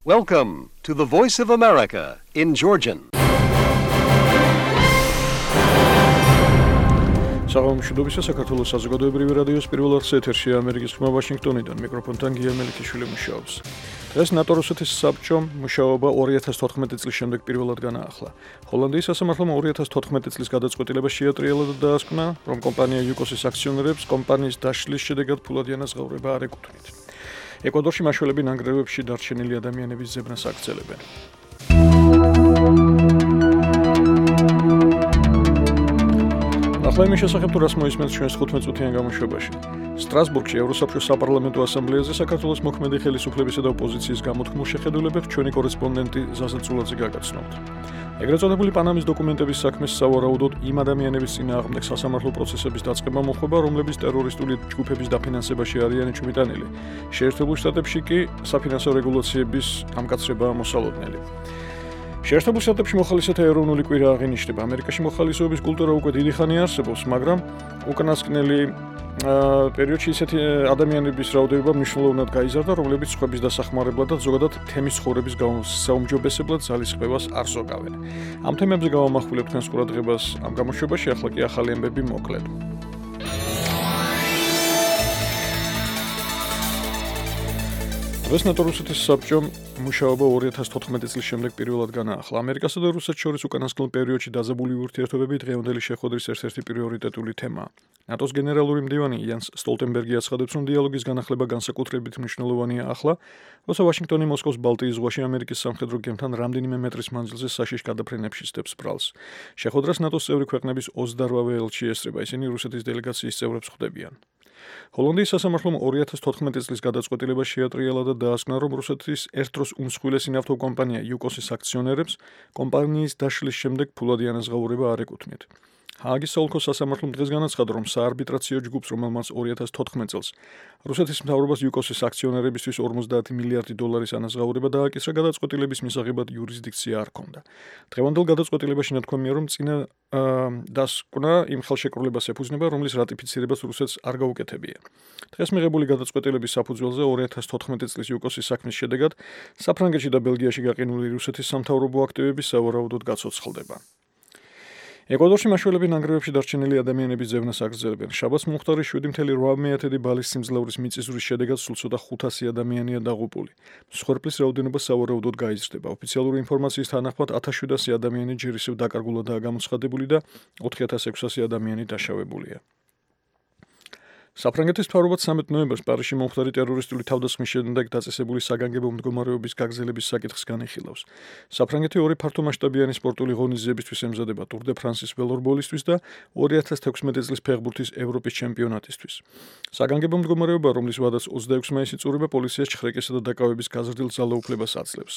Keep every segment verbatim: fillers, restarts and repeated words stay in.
Welcome to the Voice of America in Georgian. საღამოშუდობისა საქართველოს საზოგადოებრივი რადიოს პირველ არხს ეთერში ამერიკის ხმა ვაშინგტონიდან მიკროფონთან გია მელიქიშვილი მუშაობს. დღეს ნატო-რუსეთის საბჭომ მუშაობა ორი ათას თოთხმეტი წლის შემდეგ პირველად განაახლა. ჰოლანდიის სასამართლომ ორი ათას თოთხმეტი წლის გადაწყვეტილება შეატრიალა და დაასკვნა, რომ კომპანია იუკოსის აქციონერებს კომპანიის დაშლის შედეგად ფულადი ანაზღაურება არ ეკუთვნით. ეკვადორში მაშველები ნანგრევებში დარჩენილი ადამიანების ზებნას აგრძელებენ. ახლა იმის შესახებ თუ რას მოისმენთ ჩვენს თხუთმეტ წუთიან გამოშვებაში. სტრასბურგში ევროსაბჭოს საპარლამენტო ასამბლეაზე საქართველოს მოქმედი ხელისუფლებისა და ოპოზიციის გამოთქმულ შეხედულებებს ჩვენი კორესპონდენტი ზაზა წულაძე გაგაცნობთ. ეგრეთ წოდებული პანამის დოკუმენტების საქმეს სავარაუდოდ იმ ადამიანების წინააღმდეგ სასამართლო პროცესების დაწყება მოხდება, რომლებიც ტერორისტული ჯგუფების დაფინანსებაში არიან იჭმიტანილი. შეერთებულ შტატებში კი საფინანსო რეგულაციების ამკაცრებაა მოსალოდნელი. შეერთებულ შტატებში მოხალისეთა ეროვნული კვირა აღინიშნება. ამერიკაში მოხალისეობის კულტურა უკვე დიდი ხანი არსებობს, მაგრამ უკანასკნელი პერიოდში ისეთი ადამიანების რაოდენობა მნიშვნელოვნად გაიზარდა, რომლებიც სხვების დასახმარებლად და ზოგადად თემის ცხოვრების საუმჯობესებლად ძალისხმევას არ ზოგავენ. ამ თემებზე გავამახვილებ თქვენს ყურადღებას ამ გამოშვებაში, ახლა კი ახალი ამბები მოკლედ. დღეს ნატო-რუსეთის საბჭომ მუშაობა ორი ათას თოთხმეტი წლის შემდეგ პირველად განაახლა. ამერიკასა და რუსეთს შორის უკანასკნელ პერიოდში დაზებული ურთიერთობები დღევანდელი შეხვედრის ერთ-ერთი პრიორიტეტული თემაა. ნატოს გენერალური მდივანი იანს სტოლტენბერგი აცხადებს, რომ დიალოგის განახლება განსაკუთრებით მნიშვნელოვანია ახლა, როცა ვაშინგტონი მოსკოვს ბალტიის ზღვაში ამერიკის სამხედრო გემთან რამდენიმე მეტრის მანძილზე საშიშ გადაფრენებში სტებს ბრალს. შეხვედრას ნატოს წევრი ქვეყნების ოცდაოთხ ელჩი ესწრება, ისინი რუსეთის დელეგაციის წევრებს ხვდებიან. ჰოლანდიის სასამართლომ ორი ათას თოთხმეტი წლის გადაწყვეტილება შეატრიალა და დაასკვნა, რომ რუსეთის ერთ-დროს უმსხვილესი ნავთობ კომპანია იუკოსის აქციონერებს კომპანიის დაშლის შემდეგ ფულადი ანაზღაურება არ ეკუთვნით. ჰააგის საოლქო სასამართლომ დღეს განაცხადა, რომ საარბიტრაციო ჯგუფს, რომელმაც ორი ათას თოთხმეტ წელს რუსეთის მთავრობას იუკოსის აქციონერებისთვის ორმოცდაათი მილიარდი დოლარის ანაზღაურება დააკისრა, გადაწყვეტილების მისაღებად იურისდიქცია არ ჰქონდა. დღევანდელ გადაწყვეტილებაში ნათქვამია, რომ წინა დასკვნა იმ ხელშეკრულებას ეფუძნება, რომლის რატიფიცირებას რუსეთს არ გაუკეთებია. დღეს მიღებული გადაწყვეტილების საფუძველზე ორი ათას თოთხმეტი წლის იუკოსის საქმის შედეგად საფრანგეთში და ბელგიაში გაყინული რუსეთის სამთავრობო აქტივები სავარაუდოდ გაცოცხლდება. ეკვადორში მაშველები ნანგრევებში დარჩენილი ადამიანების ზევნას აგრძელებენ. შაბათს მომხდარი შვიდი მცდელო რვა ბალის სიმძლავრის მიწისძვრის შედეგად სულ ცოტა ხუთასი ადამიანია დაღუპული. მსხვერპლის რაოდენობა სავარაუდოდ გაიზრდება. ოფიციალური ინფორმაციის თანახმად ათას შვიდასი ადამიანი ჯერ ისევ დაკარგულადაა გამოცხადებული და ოთხი ათას ექვსასი ადამიანი დაშავებულია. საფრანგეთის მთავრობაც სამედ ნოემბერს პარიზში მომხდარი ტერორისტული თავდასხმის შედეგად დაწესებული საგანგებო მდგომარეობის გაგრძელების საკითხს განიხილავს. საფრანგეთი ორი ფართომასშტაბიანი სპორტული ღონისძიებისთვის ემზადება ტურ დე ფრანსის ველორბოლისთვის და ორი ათას თექვსმეტი წლის ფეხბურთის ევროპის ჩემპიონატისთვის. საგანგებო მდგომარეობა, რომლის ვადაც ოცდაექვსი მაისი წურება, პოლიციას ჩხრეკესა და დაკავების გაზრდილ ძალაუფლებას აძლევს.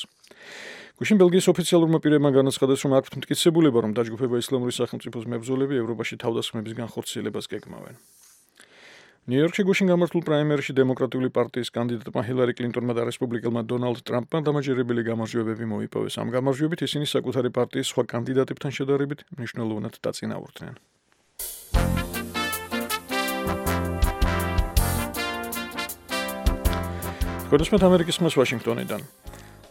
გუშინ ბელგიის ოფიციალურმა პირებმა განაცხადეს, რომ აქვთ მტკიცებულება, რომ დაჯგუფება ისლამური სახელმწიფოს მებრძოლები ევროპაში თავდასხმების განხორციელებას გეგმავენ. ნიუ-იორკში გუშინ გამართულ პრაიმერში დემოკრატიული პარტიის კანდიდატმა ჰილარი კლინტონმა და რესპუბლიკელმა დონალდ ტრამპმა დამაჯერებელი გამარჯვებები მოიპოვეს. ამ გამარჯვებით ისინი საკუთარი პარტიის სხვა კანდიდატებთან შედარებით მნიშვნელოვნად დაწინაურდნენ. გოდესმეთ ამერიკის ხმას ვაშინგტონიდან.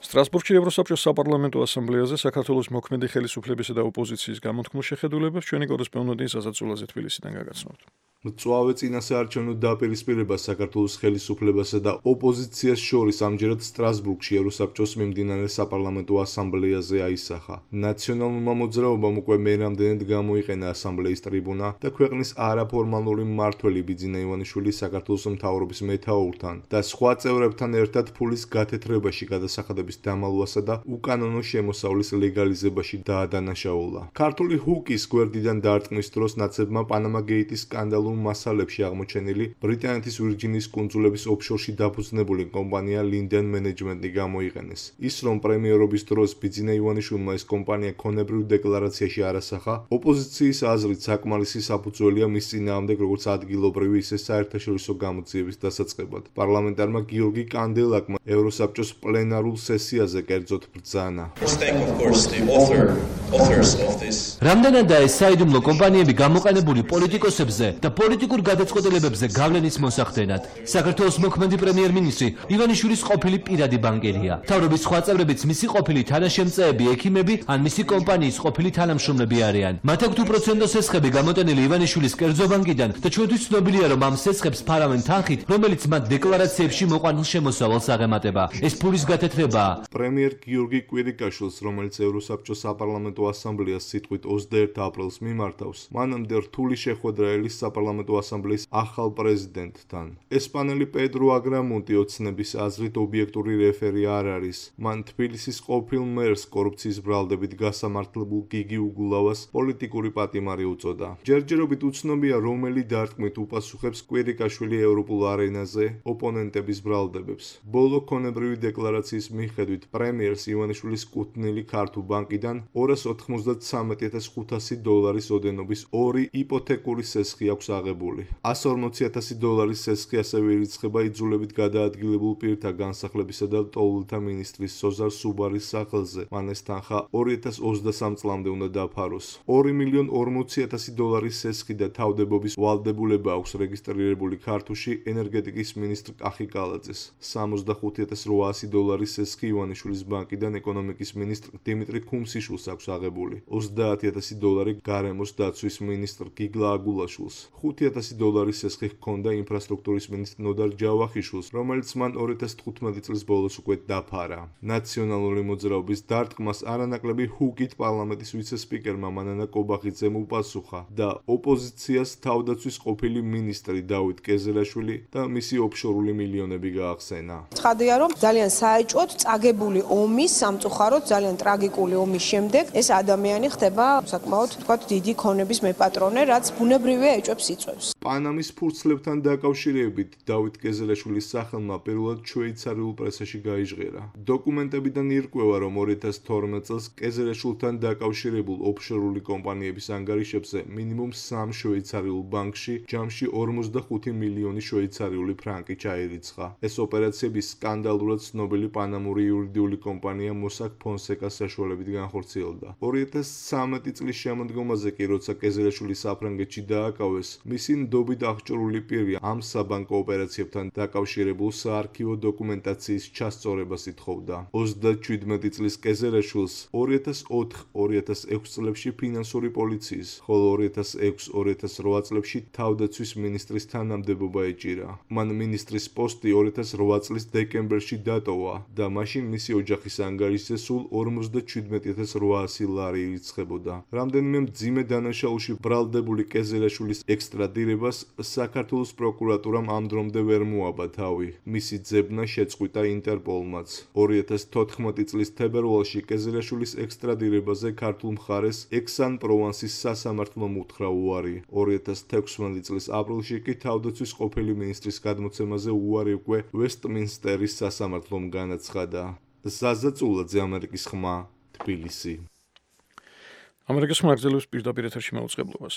სტრასბურგში ევროსაბჭოს საპარლამენტო ასამბლეაზე საქართველოს მოქმედი ხელისუფლებისა და ოპოზიციის გამოთქმულ შეხედულებებს ჩვენი კორესპონდენტი ზაზა წულაძე თბილისიდან გაგაცნობთ. მწვავე წინასაარჩევნო დაპირისპირება საქართველოს ხელისუფლებასა და ოპოზიციას შორის ამჯერად სტრასბურგში ევროსაბჭოს მიმდინარე საპარლამენტო ასამბლეაზე აისახა. ნაციონალურმა მოძრაობამ უკვე მე რამდენად გამოიყენა ასამბლეის ტრიბუნა და ქვეყნის არაფორმალური მმართველი ბიძინა ივანიშვილი საქართველოს მთავრობის მეთაურთან და სხვა წევრებთან ერთად ფულის გათეთრებაში გადასახადების დამალვასა და უკანონო შემოსავლის ლეგალიზებაში დაადანაშაულა. ქართული ჰუკის გვერდიდან დარტყმის დროს ნაცებმა პანამა გეიტის სკანდალურ მასალებში აღმოჩენილი ბრიტანეთის ვირჯინიის კუნძულების ოფშორში დაფუძნებული კომპანია Linden Management-ი გამოიყენეს. ის, რომ პრემიერობის დროს ბიძინა ივანიშვილმა ეს კომპანია ქონებრივ დეკლარაციაში არასახა, ოპოზიციის აზრით საკმარისი საფუძველია მის წინააღმდეგ როგორც ადგილობრივი, ისე საერთაშორისო გამოძიების დასაწყებად. პარლამენტარმა გიორგი კანდელაკმა ევროსაბჭოს პლენარულ სესიაზე კერძოდ ბრძანა. Let's thank, of course, the author რამდენადაა ეს საიდუმლო კომპანიები გამოყენებული პოლიტიკოსებზე და პოლიტიკურ გადაწყვეტილებებზე გავლენის მოსახდენად. საქართველოს მოქმედი პრემიერ-მინისტრი ივანიშვილის ყოფილი პირადი ბანკერია. მთავრობის სხვა წევრებიც მისი ყოფილი თანაშემწეები, ექიმები ან მისი კომპანიის ყოფილი თანამშრომლები არიან. მათ აქვთ უპროცენტო სესხები გამოტენილი ივანიშვილის კერძო ბანკიდან და ჩვენთვის ცნობილია, რომ ამ სესხებს ფარავენ თანხით, რომელიც მათ დეკლარაციებში მოყვანილ შემოსავალს აღემატება. ეს ფულის გათეთრებაა. პრემიერ გიორგი კვირიკაშვილს, რომელიც ევროსაბჭოს საპარლამენტო ასამბლეას სიტყვით ოცდაერთი აპრილს მიმართავს, მანამდე რთული შეხვედრა ელის საპარლამენტო ასამბლეის ახალ პრეზიდენტთან. ესპანელი პედრო აგრამონტი ოცნების აზრით ობიექტური რეფერი არ არის. მან თბილისის ყოფილ მერს კორუფციის ბრალდებით გასამართლებულ გიგი უგულავას პოლიტიკური პატიმარი უწოდა. ჯერჯერობით უცნობია, რომელი დარტყმით უპასუხებს კვირიკაშვილი ევროპულ არენაზე ოპონენტების ბრალდებებს. ბოლო ქონებრივი დეკლარაციის მიხედვით პრემიერს ივანიშვილის კუთვნილი ქართულ ბანკიდან ორას ოთხმოცდათსამეტი ათას ხუთასი დოლარის ოდენობის ორი იპოთეკური სესხი აქვს აღებული. ასა ორმოცი ათასი დოლარის სესხი ასევე ირიცხება იძულებით გადაადგილებულ პირთა განსახლებისა და ლტოლვილთა მინისტრის სოზარ სუბარის სახელზე. მან ეს თანხა ორი ათას ოცდასამ წლამდე უნდა დაფაროს. ორი მილიონ ორმოცი ათასი დოლარის სესხი და თავდებობის ვალდებულება აქვს რეგისტრირებული ქართულში ენერგეტიკის მინისტრ კახი კალაძეს. სამოცდახუთი ათას რვაასი დოლარის სესხი ივანიშვილის ბანკიდან ეკონომიკის მინისტრ დიმიტრი ქუმსიშვილს აქვს აღებული. ოცდაათი ათასი დოლარი გარემოს დაცვის მინისტრ გიგლა აგულაშვილს. ხუთი ათასი დოლარის სესხი ჰქონდა ინფრასტრუქტურის მინისტრ ნოდარ ჯავახიშვილს, რომელიც მან ორი ათას თხუთმეტი წლის ბოლოს უკვე დაფარა. ნაციონალური მოძრაობის დარტყმას არანაკლები ჰუკით პარლამენტის ვიცე-სპიკერმა მანანა კობახიძემ უპასუხა და ოპოზიციას თავდაცვის ყოფილი მინისტრი დავით კეზერაშვილი და მისი ოფშორული მილიონები გაახსენა. ცხადია, რომ ძალიან საეჭვოდ წაგებული ომის, სამწუხაროდ ძალიან ტრაგიკული ომის შემდეგ ეს ადამიანი ხდება საკმაოდ თქვათ დიდი ქონების მეპატრონე, რაც ბუნებრივია ეჭვებს იწვევს. პანამის ფურცლებთან დაკავშირებით დავით კეზერაშვილის სახელმა პირველად შვეიცარიულ პრესაში გაიჟღერა. დოკუმენტებიდან ირკვევა, რომ ორი ათას თორმეტ წელს კეზერაშვილთან დაკავშირებულ ოფშორული კომპანიების ანგარიშებზე მინიმუმ სამ შვეიცარიულ ბანკში ჯამში ორმოცდახუთი მილიონი შვეიცარიული ფრანკი ჩაირიცხა. ეს ოპერაციები სკანდალურად ცნობილი პანამური იურიდიული კომპანია მოსაკ ფონსეკას საშუალებით განხორციელდა. ორი ათას ცხრამეტი წლის შემოდგომაზე კი, როცა კეზერაშვილი საფრანგეთში დააკავეს, მისი ნდობით აღჭურვილი პირი ამ საბანკო ოპერაციებთან დაკავშირებულ საარქივო დოკუმენტაციის ჩასწორებას ითხოვდა. ოცდაჩვიდმეტი წლის კეზერაშვილს ორი ათას ოთხ ორი ათას ექვს წლებში ფინანსური პოლიციის, ხოლო ორი ათას ექვს ორი ათას რვა წლებში თავდაცვის მინისტრის თანამდებობა ეჭირა. მან მინისტრის პოსტი ორი ათას რვა წლის დეკემბერში დატოვა და მაშინ მისი ოჯახის ანგარიშზე სულ ორმოცდაჩვიდმეტი ათას რვაასი ლარი ირიცხებოდა. რამდენიმე მძიმე დანაშაულში ბრალდებული კეზერაშვილის ექსტრადირებას საქართველოს პროკურატურამ ამ დრომდე ვერ მოაბა თავი. მისი ძებნა შეწყვიტა ინტერპოლმაც. ორი ათას თოთხმეტი წლის თებერვალში კეზერაშვილის ექსტრადირებაზე ქართულ მხარეს ექსან-პროვანსის სასამართლომ უთხრა უარი. ორი ათას თექვსმეტი წლის აპრილში კი თავდაცვის ყოფილი მინისტრის გადმოცემაზე უარი უკვე ვესტმინსტერის სასამართლომ განაცხადა. ზაზა წულაძე, ამერიკის ხმა, თბილისი. ამერიკის ხმა აგზელებს პირდაპირ ეთერში მაუწყებლობას.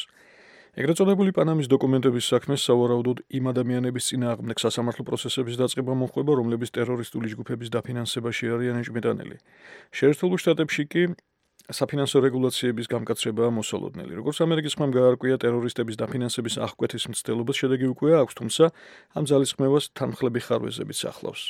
ეგრეთ წოდებული პანამის დოკუმენტების საქმეს სავარაუდოდ იმ ადამიანების წინააღმდეგ სასამართლო პროცესების დაწყება მოხდება, რომლებიც ტერორისტული ჯგუფების დაფინანსებაში არიან ეჭვმიტანილი. შეერთებულ შტატებში კი საფინანსო რეგულაციების გამკაცრებაა მოსალოდნელი. როგორც ამერიკის ხმამ გაარკვია, ტერორისტების დაფინანსების აღკვეთის მცდელობას შედეგი უკვე აქვს, თუმცა ამ ძალისხმევას თანმხლები ხარვეზებიც ახლავს.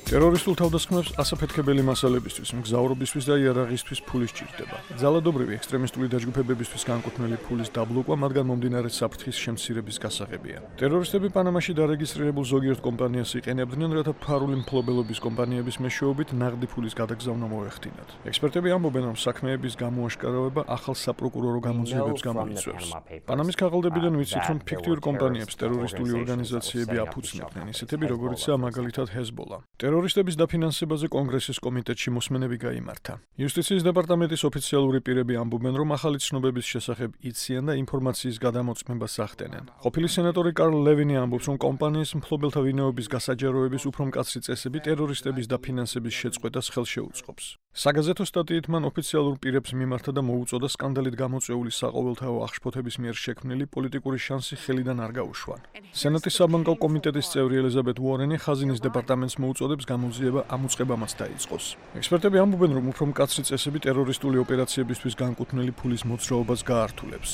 ტერორისტულ თავდასხმებს ასაფეთქებელი მასალებისთვის, მგზავრობისთვის და იარაღისთვის ფული სჭირდება. ძალადობრივი ექსტრემისტული დაჯგუფებებისთვის განკუთვნილი ფულის დაბლოკვა მათგან მომდინარე საფრთხის შემცირების გასაღებია. ტერორისტები პანამაში დარეგისტრირებულ ზოგიერთ კომპანიას იყენებდნენ, რათა ფარული მფლობელობის კომპანიების მეშვეობით ნაღდი ფულის გადაგზავნა მოეხდინათ. ექსპერტები ამბობენ, რომ საქმეების გამოაშკარავება ახალ საპროკურორო გამოძიებებს გამოიწვევს. პანამის ქაღალდებიდან ვიცით, რომ ფიქტიურ კომპანიებს ტერორისტული ორგანიზაციები აფუძნებდნენ, ისეთები როგორიცაა მაგალითად ჰეზბოლა. ტერორისტების დაფინანსებაზე კონგრესის კომიტეტში მოსმენები გაიმართა. იუსტიციის დეპარტამენტის ოფიციალური პირები ამბობენ, რომ ახალი ცნობების შესახებ იციან და ინფორმაციის გადამოწმებას ახდენენ. ყოფილი სენატორი კარლ ლევინი ამბობს, რომ კომპანიის მფლობელთა ვინაობის გასაჯაროების უფრო მკაცრი წესები ტერორისტების დაფინანსების შეწყვეტას ხელს შეუწყობს. საგაზეთო სტატიით მან ოფიციალურ პირებს მიმართა და მოუწოდა სკანდალით გამოწვეული საყოველთაო აღშფოთების მიერ შექმნილი პოლიტიკური შანსი ხელიდან არ გაუშვან. სენატის საბანკო კომიტეტის წევრი ელიზაბეთ უორენი ხაზინის დეპარტამენტს მოუწოდებს გამოძიება ამ უწყებამაც დაიწყოს. ექსპერტები ამბობენ, რომ უფრო მკაცრი წესები ტერორისტული ოპერაციებისთვის განკუთვნილი ფულის მოძრაობას გაართულებს.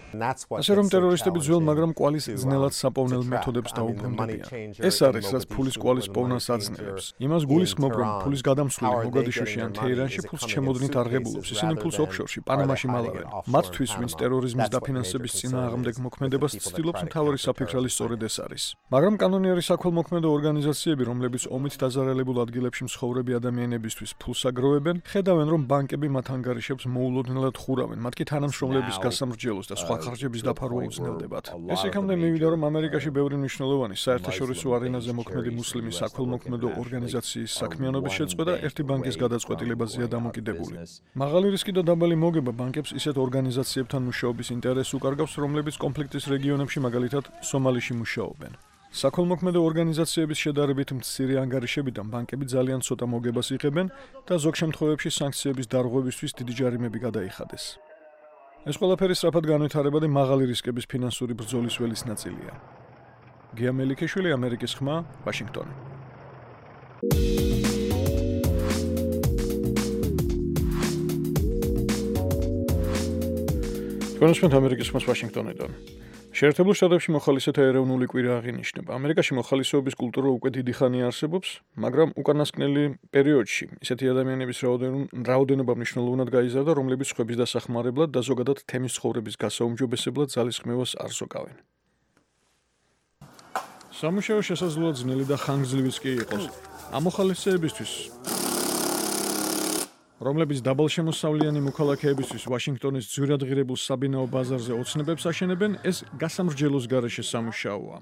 ასე რომ ტერორისტები ძველ, მაგრამ კვალის ძნელად საპოვნელ მეთოდებს დაუბრუნდებიან. ეს არის, რაც ფულის კვალის პოვნას აძნელებს. იმას გულისხმობ, რომ ფულის გადამსვლელი მოგადიშოში ან თეირანში ფულს ჩემოდნით არღებულობს. ისინი ფულს ოფშორში, პანამაში მალავენ. მათთვის, ვინც ტერორიზმის დაფინანსების წინააღმდეგ მოქმედებას ცდილობს, მთავარი საფიქრალი სწორედ ეს არის. მაგრამ კანონიერი საქველმოქმედო ორგანიზაციები, რომლებიც ომით დაზარალებულ ადგილებში მსხოვრები ადამიანებისთვის ფულს აგროვებენ, ხედავენ, რომ ბანკები მათ ანგარიშებს მოულოდნელად ხურავენ, მათ კი თანამშრომლების გასამრჯელოს და სხვა ხარჯების დაფარვა უძნელდებათ. ეს იქამდე მივიდა, რომ ამერიკაში ბევრი მნიშვნელოვანი საერთაშორისო არენაზე მოქმედი მუსლიმი საქველმოქმედო ორგანიზაციის საქმიანობის შეწყვეტა ერთი ბანკის გადაწყვეტილებაზეა დამოკიდებული. მაღალი რისკი და დაბალი მოგება ბანკებს ისეთ ორგანიზაციებთან მუშაობის ინტერესს უკარგავს, რომლებიც კონფლიქტის რეგიონებში, მაგალითად, სომალიში მუშაობენ. საქველმოქმედო ორგანიზაციების შედარებით მცირე ანგარიშებიდან ბანკები ძალიან ცოტა მოგებას იღებენ და ზოგ შემთხვევებში სანქციების დარღვევისთვის დიდი ჯარიმები გადაიხადეს. ეს ყველაფერი სწრაფად განვითარება და მაღალი რისკების ფინანსური ბრძოლის ველის ნაწილია. გია მელიქიშვილი, ამერიკის ხმა, ვაშინგტონი. თქვენსმენთ ამერიკის ხმას ვაშინგტონიდან. შეერთებულ შტატებში მოხალისეთა ეროვნული კვირა აღინიშნება. ამერიკაში მოხალისეობის კულტურა უკვე დიდი ხანია არსებობს, მაგრამ უკანასკნელი პერიოდში ისეთი ადამიანების რაოდენობა მნიშვნელოვნად გაიზარდა, რომლებიც სხვების დასახმარებლად და ზოგადად თემის ცხოვრების გასაუმჯობესებლად ძალისხმევას არ ზოგავენ. სამუშაო შესაძლოა ძნელი და ხანგრძლივიც კი იყოს. ამ მოხალისეებისთვის, რომლებიც დაბალშემოსავლიანი მოქალაქეებისთვის ვაშინგტონის ძვირად ღირებულ საბინაო ბაზარზე ოცნებებს აშენებენ, ეს გასამრჯელოს გარეშე სამუშაოა.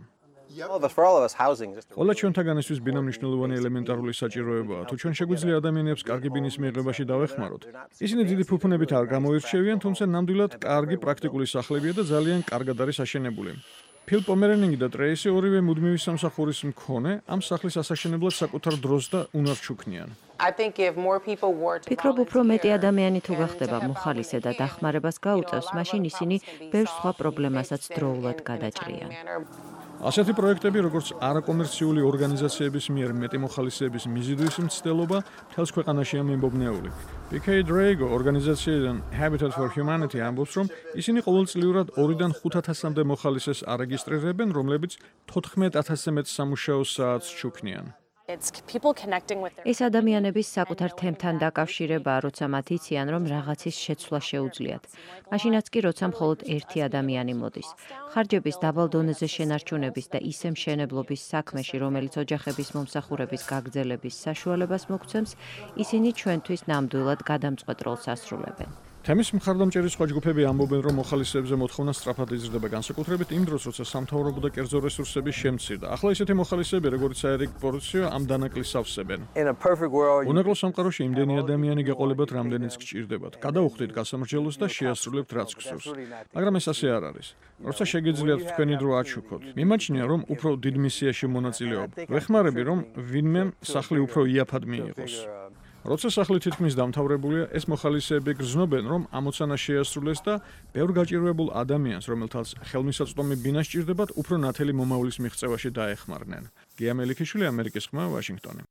ყველა ჩვენთაგანისთვის ბინა მნიშვნელოვანი ელემენტარული საჭიროებაა. თუ ჩვენ შეგვიძლია ადამიანებს კარგი ბინის მიღებაში დავეხმაროთ, ისინი დიდი ფუფუნებით არ გამოირჩევიან, თუმცა ნამდვილად კარგი პრაქტიკული სახლებია და ძალიან კარგად არის აშენებული. ფილ პომერენინგი და ტრეისი ორივე მუდმივი სამსახურის მქონე ამ სახლის ასაშენებლად საკუთარ დროს და უნარს ჩუქნიან. ფიქრობ, უფრო მეტი ადამიანი თუ გახდება მოხალისე და დახმარებას გაუწევს, მაშინ ისინი ბევრ სხვა პრობლემასაც დროულად გადაჭრიან. ასეთი პროექტები, როგორც არაკომერციული ორგანიზაციების მიერ მეტი მოხალისეების მიზიდვის მცდელობა, მთელს ქვეყანაშია მიმობნეული. პი კეი დრეიგო ორგანიზაციიდან Habitat for Humanity ამბობს, რომ ისინი ყოველწლიურად ორიდან ხუთ ათასამდე მოხალისეს არეგისტრირებენ, რომლებიც თოთხმეტ ათასზე მეტ სამუშაო საათს ჩუქნიან. ეს ადამიანების საკუთარ თემთან დაკავშირებაა, როცა მათ იციან, რომ რაღაცის შეცვლა შეუძლიათ. მაშინაც კი, როცა მხოლოდ ერთი ადამიანი მოდის. ხარჯების დაბალ დონეზე შენარჩუნების და ისე მშენებლობის საქმეში, რომელიც ოჯახების მომსახურების გაგრძელების საშუალებას მოგცემს, ისინი ჩვენთვის ნამდვილად გადამწყვეტ როლს ასრულებენ. თემის მხარდამჭერი სხვა ჯგუფები ამბობენ, რომ მოხალისეებზე მოთხოვნა სწრაფად იზრდება, განსაკუთრებით იმ დროს, როცა სამთავრობო და კერძო რესურსები შემცირდა. ახლა ისეთი მოხალისეები, როგორც აერიკ პორციო, ამ დანაკლისს ავსებენ. უნაკლო სამყაროში იმდენი ადამიანი გეყოლებათ, რამდენიც გჭირდებათ. გადაუხდით გასამრჯელოს და შეასრულებთ რაც გსურს. მაგრამ ეს ასე არ არის. როცა შეგიძლიათ თქვენი დრო აჩუქოთ, მიმაჩნია, რომ უფრო დიდ მისიაში მონაწილეობ. ვეხმარები, რომ ვინმე სახლი უფრო იაფად მიიღოს. როცა სახლი თითქმის დამთავრებულია, ეს მოხალისეები გრძნობენ, რომ ამოცანა შეასრულეს და ბევრ გაჭირვებულ ადამიანს, რომელთაც ხელმისაწვდომი ბინა სჭირდებათ, უფრო ნათელი მომავლის მიღწევაში დაეხმარნენ. გია მელიქიშვილი, ამერიკის ხმა, ვაშინგტონი.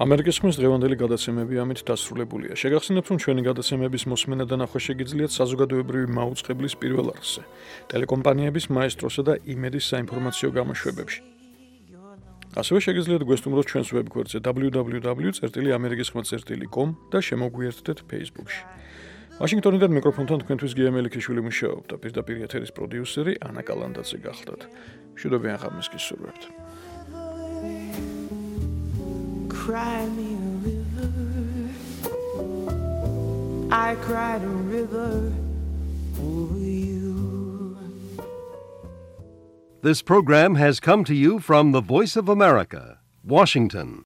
ამერიკის ხმის დღევანდელი გადაცემები ამით დასრულებულია. შეგახსენებთ, რომ ჩვენი გადაცემების მოსმენა და ნახვა შეგიძლიათ საზოგადოებრივი მაუწყებლის პირველ არხზე, ტელეკომპანიების მაესტროსა და იმედის საინფორმაციო გამოშვებებში. ასევე შეგიძლიათ გვესტუმროთ ჩვენს ვებგვერდზე დაბლიუ დაბლიუ დაბლიუ წერტილი ამერიკის ხმა წერტილი კომ და შემოგვიერთდეთ Facebook-ში. ვაშინგტონიდან მიკროფონთან თქვენთვის გია მელიქიშვილი მუშაობდა, პირდაპირ ეთერის პროდიუსერი ანა კალანდაძე გახლდათ. მშვიდობიან ღამეს გისურვებთ. Cry me a river, I cried a river over you. This program has come to you from the Voice of America, Washington.